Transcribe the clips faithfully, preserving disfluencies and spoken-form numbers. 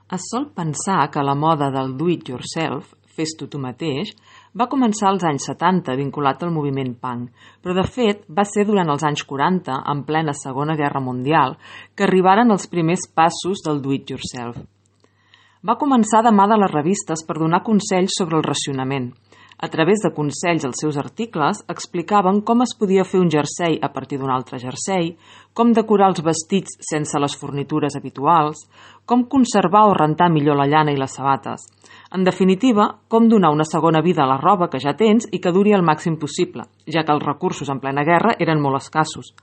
Es sol pensar que la moda del do-it-yourself, fes-t'ho tu mateix, va començar als anys setanta vinculat al moviment punk, però de fet va ser durant els anys quaranta, en plena Segona Guerra Mundial, que arribaren els primers passos del do-it-yourself. Va començar de mà de les revistes per donar consells sobre el racionament. A través de consells als seus articles explicaven com es podia fer un jersei a partir d'un altre jersei, com decorar els vestits sense les fornitures habituals, com conservar o rentar millor la llana i les sabates. En definitiva, com donar una segona vida a la roba que ja tens i que duri el màxim possible, ja que els recursos en plena guerra eren molt escassos.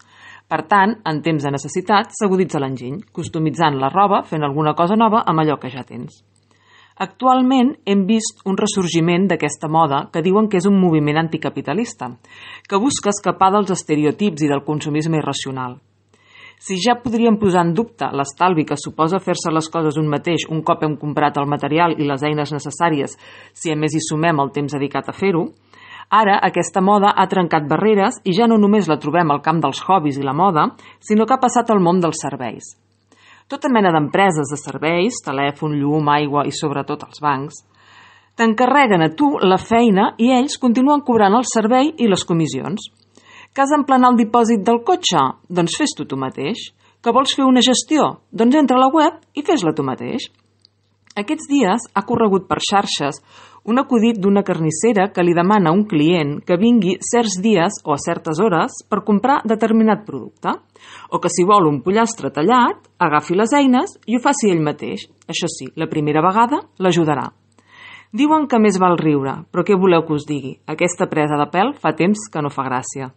Per tant, en temps de necessitat, s'aguditza l'enginy, customitzant la roba, fent alguna cosa nova amb allò que ja tens. Actualment hem vist un ressorgiment d'aquesta moda que diuen que és un moviment anticapitalista, que busca escapar dels estereotips i del consumisme irracional. Si ja podríem posar en dubte l'estalvi que suposa fer-se les coses un mateix un cop hem comprat el material i les eines necessàries, si a més hi sumem el temps dedicat a fer-ho, ara aquesta moda ha trencat barreres i ja no només la trobem al camp dels hobbies i la moda, sinó que ha passat al món dels serveis. Tota mena d'empreses de serveis, telèfon, llum, aigua i sobretot els bancs, t'encarreguen a tu la feina i ells continuen cobrant el servei i les comissions. Que has d'emplenar el dipòsit del cotxe? Doncs fes-t'ho tu mateix. Que vols fer una gestió? Doncs entra a la web i fes-la tu mateix. Aquests dies ha corregut per xarxes un acudit d'una carnissera que li demana a un client que vingui certs dies o a certes hores per comprar determinat producte, o que si vol un pollastre tallat, agafi les eines i ho faci ell mateix. Això sí, la primera vegada l'ajudarà. Diuen que més val riure, però què voleu que us digui? Aquesta presa de pèl fa temps que no fa gràcia.